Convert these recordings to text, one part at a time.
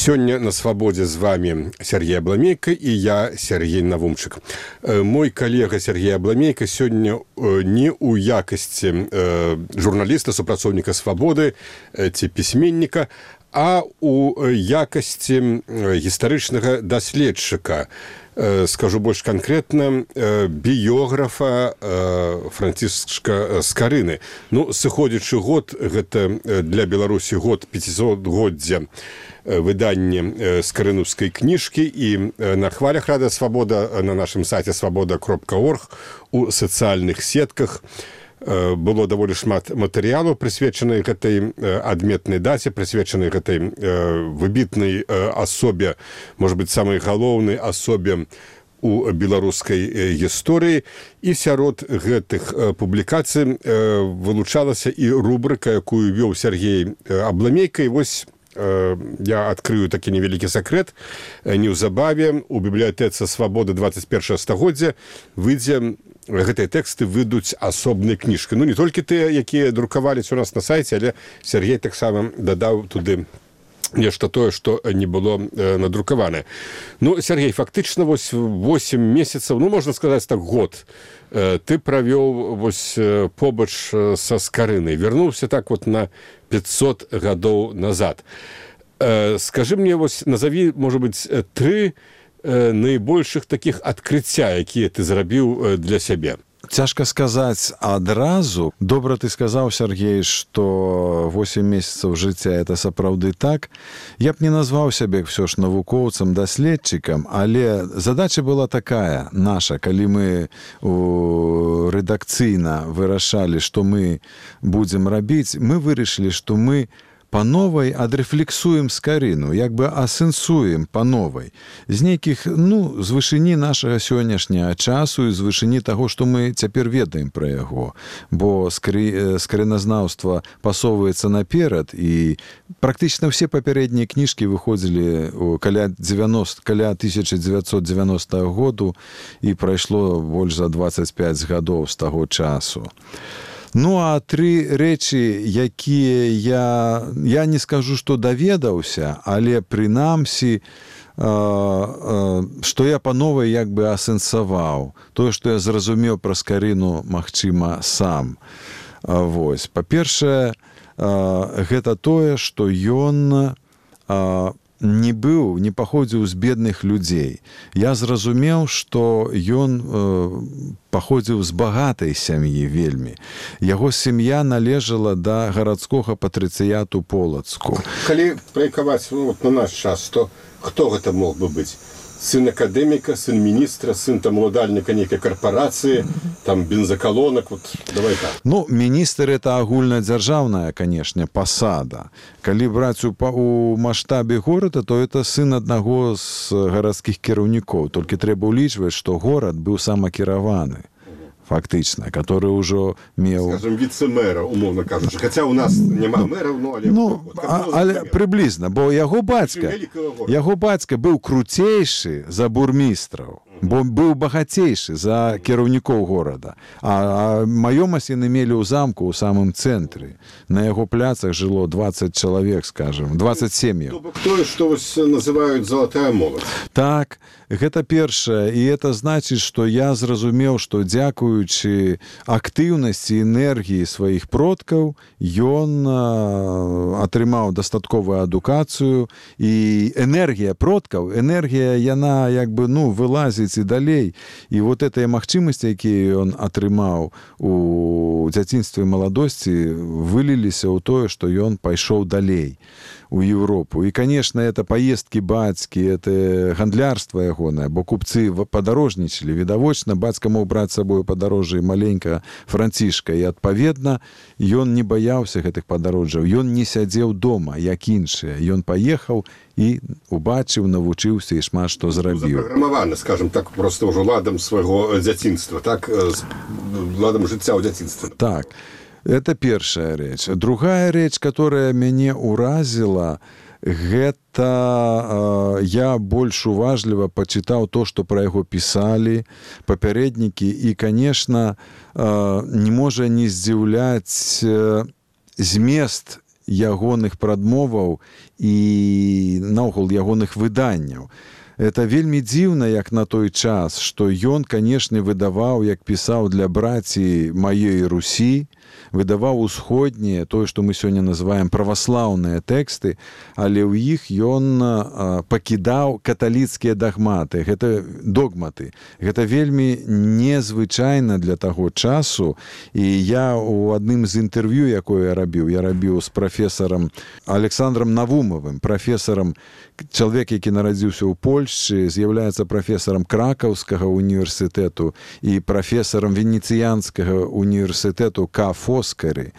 Сёння на свабодзе з вами Сергей Абламейка і я, Сергей Навумчык. Мой калега Сергей Абламейка сёння не ў якасці журналіста, супрацоўніка свабоды ці пісьменніка, а ў якасці гістарычнага даследчыка. Скажу больш канкрэтна, біёграфа Францішка Скарыны. Сыходзячы год, гэта для Беларусі год 500-годдзя выданне скарынаўскай кніжкі, і на хвалях Рада Свабода на нашым сайце свабода.орг у сацыяльных сетках было даволі шмат матэрыялаў, прысвечанай гэтай адметнай даце, прысвечанай гэтай выбітнай асобе, можа быць, самай галоўнай асобе у беларускай гісторыі. І сярод гэтых публікацый вылучалася і рубрыка, якую вёў Сергей Абламейка. І вось я адкрыю такі невялікі сакрэт. Неўзабаве у бібліятэцы «Свабода 21 стагоддзя» выйдзе, гэтыя тэксты выйдуць асобнай кніжкай. Не толькі тыя, якія друкаваліся у нас на сайце, але Сергей таксама дадаў туды нешта тое, што не было надрукаванае. Сергей, фактычна вось 8 месяцаў, можна сказаць так, год, ты правёў вось побач са Скарынай, вярнуўся так вот на 500 гадоў назад. Скажы мне, вось назаві, можа быць, 3 найбольшых такіх адкрыцця, якія ты зрабіў для сябе. Цяжка сказаць адразу. Добра ты сказаў, Сергей, што 8 месяцаў жыцця – это сапраўды так. Я б не назваў сябе ўсё ж навукоўцам, даследчыкам, але задача была такая наша, калі мы рэдакцыйна вырашалі, што мы будзем рабіць, мы вырашылі, што мы па новай адрэфлексуем Скарыну, як бы асэнсуем па новай. З нейкіх, з вышыні нашага сённяшняга часу і з вышыні таго, што мы цяпер ведаем пра яго. Бо скарыназнаўства пасоўваецца наперад, і практычна ўсе папярэднія кніжкі выходзілі каля 1990 году, і прайшло больш за 25 гадоў з таго часу. А 3 рэчы, якія я не скажу, што даведаўся, але прынамсі, што я па новай як бы асэнсаваў. Тое, што я зразумеў пра Скарыну, магчыма, сам. Па-першае, гэта тое, што ён не паходзіў з бедных людзей. Я зразумеў, што ён паходзіў з багатай сям'і вельмі. Яго сям'я належала да гарадскога патрыцыяту Полацку. Калі праекаваць на наш час, то хто гэта мог бы быць? Сын акадэміка, сын міністра, сын уладальніка нейкай карпорацыі, бензакалонак, давай так. Міністр – это агульнадзяржаўная, канешне, пасада. Калі браць у маштабе горада, то это сын аднаго з гарадскіх кіраўнікоў. Толькі трэба ўлічваць, што горад быў самакіраваны. Фактычна, который ўжо меў... Скажем, віцэ-мэра, умоўна кажучы. Хаця у нас няма мэраў, але прыблізна, бо яго бацька быў круцейшы за бурмістраў, бо быў багацейшы за кіраўнікоў горада. А маёмасць яны мелі ў замку, ў самым цэнтры. На яго пляцах жыло 20 чалавек, скажем, 20 сем'яў. Тое, што называюць залатая моладзь. Так, гэта першае. І это значыць, што я зразумеў, што дзякуючы актыўнасці, энергіі сваіх продкаў, ён атрымаў дастатковую адукацыю, і энергія продкаў, яна як бы, вылазіць і далей. І вот гэтыя магчымасці, якія ён атрымаў у дзяцінстве і маладосці, выліліся ў тое, што ён пайшоў далей у Европу. І, конечно, это поездки бацькі, это гандлярства ягонае, бо купцы падарожнічалі. Відавочна, бацька мог браць з сабою падарожжа маленька Францішка, і, адпаведна, ён не баяўся гэтых падарожжаў. Ён не сядзеў дома, як іншыя. Ён паехаў і убачыў, навучыўся і шмат што зрабіў. Запраграмаваны, скажем так, просто ўжо ладам свайго дзяцінства, так? Ладам жыцця ў дзяцінстве. Так. Это першая рэч. Другая рэч, которая мяне ўразіла, гэта я больш уважліва пачытаў то, што пра яго пісалі папярэднікі, і, конечно, не можа не здзіўляць змест ягоных прадмоваў і наогул ягоных выданняў. Это вельмі дзіўна, як на той час, што ён, канешне, выдаваў, як пісаў для браці маёй Русі, выдаваў усходнія, тое, што мы сёння называем праваслаўныя тэксты, але ў іх ён пакідаў каталіцкія дагматы, догматы. Гэта вельмі незвычайна для таго часу, і я ў адным з інтэрв'ю, якое я рабіў з прафесарам Александром Навумовым, прафесарам, чалавек, які нарадзіўся ў Польшчы, з'яўляецца прафесарам Кракаўскага універсітэту і прафесарам Венецыянскага універсітэту Фоскары.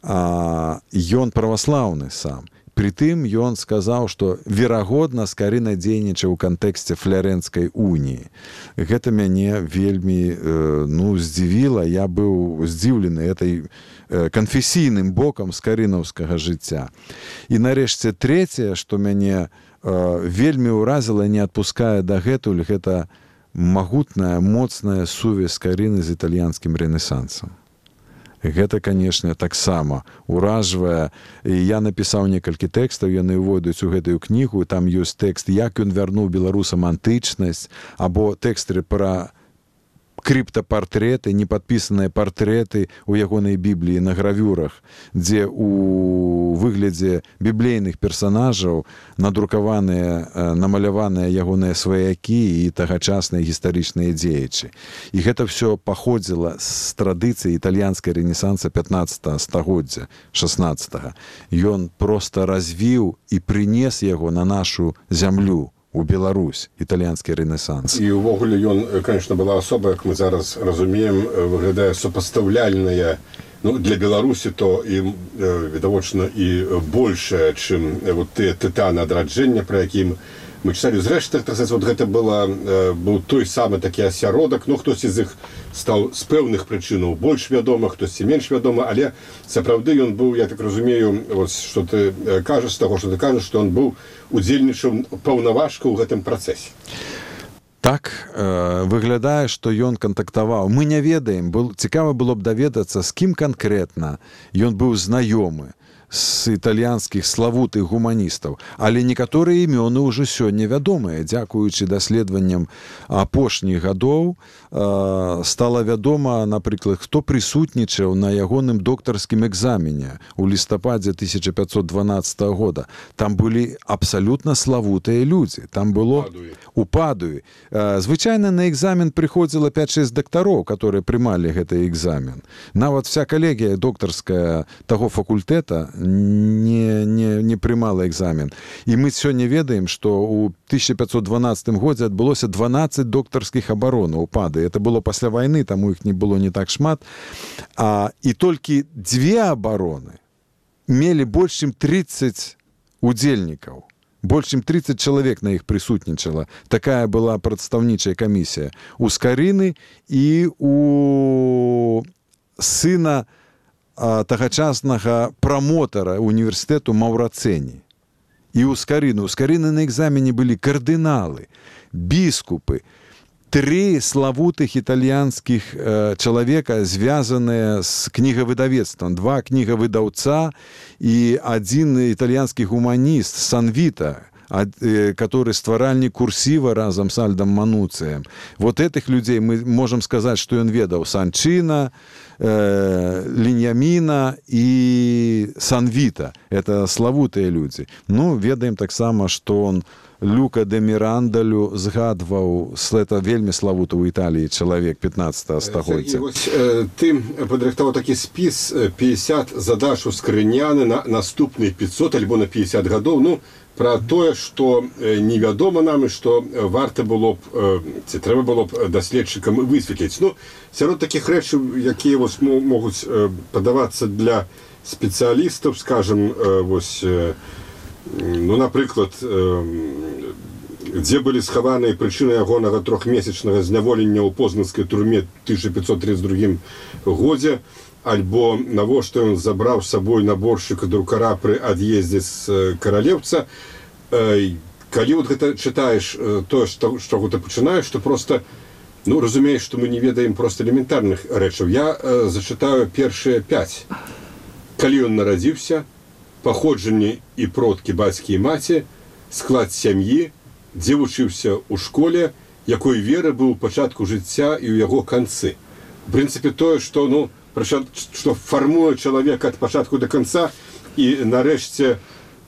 Ён праваслаўны сам. Притым ён сказаў, што верагодна Скарына дзейнічаў у кантэксце Флярэнскай уніі. Гэта мяне вельмі здзівіла. Я быў здзіўлены этой канфесійным бокам скарынаўскага жыцця. І нарэшце трэцяе, што мяне вельмі ўразіла, не адпускае дагэтуль, гэта магутная, моцная сувязь Скарыны з італьянскім рэнесансам. Гэта, канешне, таксама уражвае. І я напісаў некалькі тэкстаў, яны ўвойдуць у гэтую кнігу, там ёсць тэкст, як ён вярнуў беларусам антычнасць, або тэксты пра крыптапартрэты, непадпісаныя партрэты ў ягонай бібліі на гравюрах, дзе у выглядзе біблейных персанажаў надрукаваныя, намаляваныя ягоныя сваякі і тагачасныя гістарычныя дзеячы. І гэта ўсё паходзіла з традыцыі італьянскай рэнесанса 15 стагоддзя, 16. Ён проста развіў і прынес яго на нашу зямлю, у Беларусь, італьянскі рэнесанс. І ўвогуле ён, конечно, была асоба, як мы зараз разумеем, выглядае супастаўляльная, для Беларусі то і відавочна і большая, чым тыя тытаны адраджэння, пра якім мы чыталі. Зрэшты, гэта быў той самы такі асяродак, хтосьці з іх стаў з пэўных прычынаў больш вядома, хтосьці менш вядома, але сапраўды ён быў, я так разумею, што ты кажаш, з таго, што ты кажаш, што ён быў удзельнічаў паўнаважка ў гэтым працэсе. Так, выглядае, што ён кантактаваў. Мы не ведаем, цікава было б даведацца, з кім канкрэтна ён быў знаёмы з італьянскіх славутых гуманістаў. Але некаторыя імёны ўжо сёння вядомыя. Дзякуючы даследаванням апошніх гадоў стала вядома, напрыклад, хто прысутнічаў на ягоным доктарскім экзамене у лістападзе 1512 года. Там былі абсалютна славутыя людзі. Там было у Падуі. Звычайна на экзамен прыходзіла 5-6 дактароў, которые прымалі гэты экзамен. Нават вся калегія доктарская таго факультэта не прымала экзамен. І мы сёння ведаем, што ў 1512 годзе адбылося 12 доктарскіх абаронаў у Пады. Это было пасля вайны, таму іх не было не так шмат. І толькі 2 абароны мелі больш чым 30 удзельнікаў. Больш чым 30 чалавек на іх прысутнічала. Такая была прадстаўнічая камісія. У Скарыны і у сына тагачаснага прамотара універсітэту Маўрацэні. І ў Скарыны. У Скарыны на экзамене былі кардыналы, біскупы, 3 славутых італьянскіх чалавека, звязаныя з кнігавыдавецтвам. 2 кнігавыдаўца і 1 італьянскі гуманіст Санвіта, который стваральнік курсіва разам з Альдам Мануцыем. Этих людей мы можем сказаць, што ён ведаў Санчина, Ліньяміна і Санвіта. Это славутыя людзі. Ведаем таксама, што он Люка де Мірандалю згадваў, это вельмі славуты ў Італіі чалавек 15 стагоддзя. Ты падрыхтаваў такі спіс 50 задач у скрыняны на наступныя 500 альбо на 50 гадоў, пра тое, што невядома нам і што варта было б, ці трэба было б даследчыкам высветліць. Сярод такіх рэчаў, якія могуць падавацца для спецыялістаў, скажам, напрыклад, дзе былі схаваныя прычыны ягонага 3-месячнага зняволення ў познанскай турме 1532 годзе, альбо навошта ён забраў з сабой наборшчыка друкара пры ад'ездзе з каралеўца. Калі гэта чытаеш тое, з чаго ты пачынаеш, то проста разумееш, што мы не ведаем проста элементарных рэчаў. Я зачытаю першыя 5. Калі ён нарадзіўся, паходжанне і продкі бацькі і маці, склад сям'і, дзе вучыўся ў школе, якой веры быў у пачатку жыцця і ў яго канцы. В прынцыпе, тое, што, што фармуе чалавека ад пачатку да канца, і нарэшце,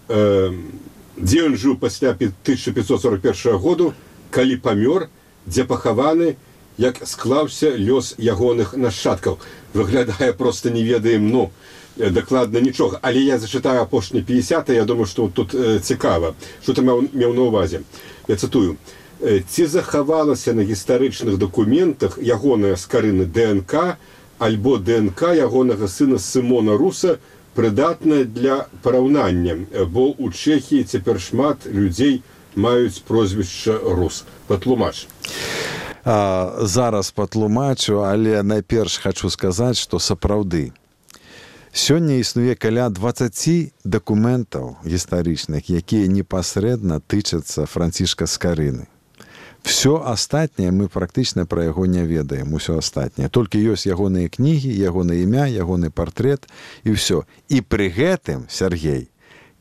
дзе ён жыў пасля 1541 году, калі памёр, дзе пахаваны, як склаўся лёс ягоных нашчадкаў. Выглядае, проста не ведаем, дакладна нічога. Але я зачытаю апошні 50, я думаю, што тут цікава. Што ты меў на ўвазе? Я цытую. Ці захавалася на гістарычных дакументах ягоная скарына ДНК альбо ДНК ягонага сына Сымона Руса прыдатная для параўнання, бо ў Чэхіі цяпер шмат людзей маюць прозвішча Рус. Патлумач. Зараз патлумачу, але найперш хачу сказаць, што сапраўды. Сёння існуе каля 20 дакументаў гістарычных, якія непасрэдна тычацца Францішка Скарыны. Всё астатняе мы практычна пра яго не ведаем, усё астатняе. Толькі ёсць ягоныя кнігі, ягонае імя, ягоны партрэт і ўсё. І пры гэтым, Сергей,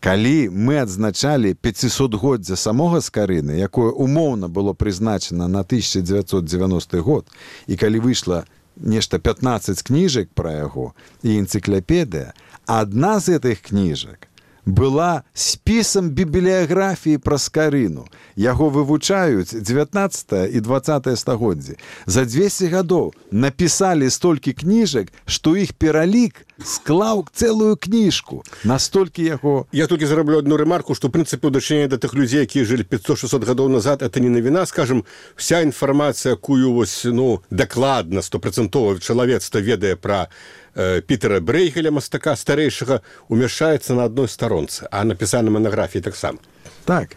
калі мы адзначалі 500годдзя самога Скарыны, якое умоўна было прызначана на 1990 год, і калі выйшла нешта 15 кніжак пра яго і энцыклапедыя, адна з гэтых кніжак была спісам бібліяграфіі пра Скарыну. Яго вывучаюць 19 і 20 стагоддзі. За 200 гадоў напісалі столькі кніжак, што іх пералік склаў цэлую кніжку. Настолькі яго... Я толькі зараблю одну ремарку, што, в прынцыпе, ў дачыненні да тых людзей, якія жылі 500-600 гадоў назад, это не навіна, скажем, вся інфармацыя, якую дакладна, 100% чалавецтва ведае пра Пітера Брейгеля, мастака старэйшага, умяшаецца на адной старонцы, а напісана манаграфіі таксама. Так.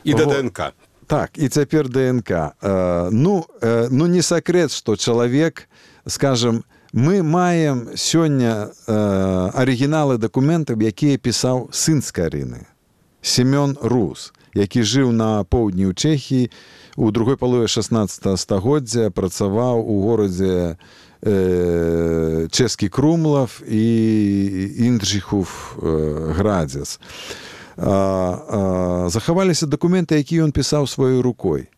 І да ДНК. Так, і цяпер ДНК. Не сакрэт, што чалавек, скажем, мы маем сёння арыгіналы дакументаў, якія пісаў сын Скарыны, Семён Рус, які жыў на поўдні ў Чэхіі, у другой палове 16 стагоддзя працаваў у горадзе Чэскі Крумлав і Інджіхув Градзец. Захаваліся дакументы, якія ён пісаў сваёй рукой.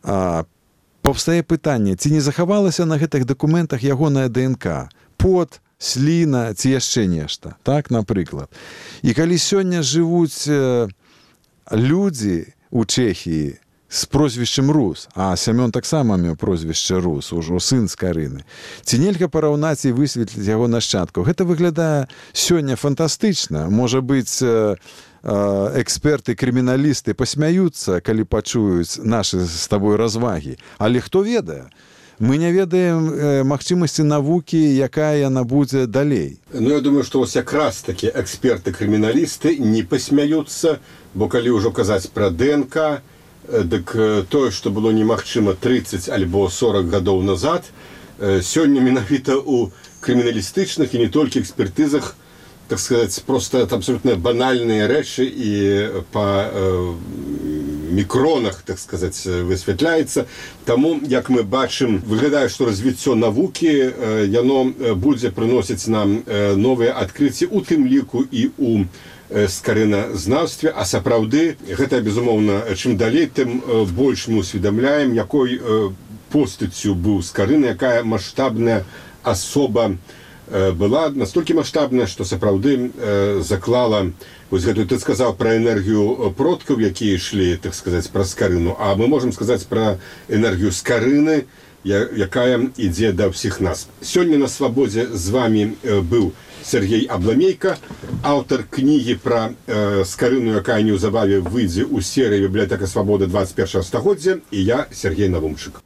Паўстае пытанне, ці не захавалася на гэтых дакументах ягоная ДНК, пот, сліна, ці яшчэ нешта, так, напрыклад. І калі сёння жывуць людзі ў Чэхіі з прозвішчам Рус, а Сямён таксама меў прозвішча Рус, ужо сын Скарыны, ці нельга параўнаць і высветліць яго нашчадкаў? Гэта выглядае сёння фантастычна. Можа быць, эксперты, крыміналісты пасмяюцца, калі пачуюць нашы з табой развагі. Але хто ведае? Мы не ведаем магчымасці навукі, якая яна будзе далей. Я думаю, што вось якраз такі эксперты-крыміналісты не пасмяюцца, бо калі ўжо казаць пра ДНК, дык тое, што было немагчыма 30 альбо 40 гадоў назад, сёння менавіта ў крыміналістычных і не толькі экспертызах, так сказаць, просто абсолютно банальныя рэчы і па мікронах, так сказаць, высвятляецца. Таму, як мы бачым, выглядае, што развіццё навукі, яно будзе прыносіць нам новыя адкрыцці, у тым ліку і ў скарыназнаўстве, а сапраўды гэта, безумоўна, чым далей, тым больш мы усведамляем, якой постаццю быў Скарына, якая маштабная асоба была, настолькі маштабная, што сапраўды заклала, вось гэтую, ты сказаў пра энергію продкаў, якія ішлі, так сказаць, пра Скарыну, а мы можам сказаць пра энергію Скарыны, якая ідзе да ўсіх нас. Сёння на свабодзе з вами быў Сергей Абламейка, аўтар кнігі пра Скарыну, якая неўзабаве выйдзе ў серыі «Бібліятэка свабоды 21 стагоддзя», і я, Сергей Навумчык.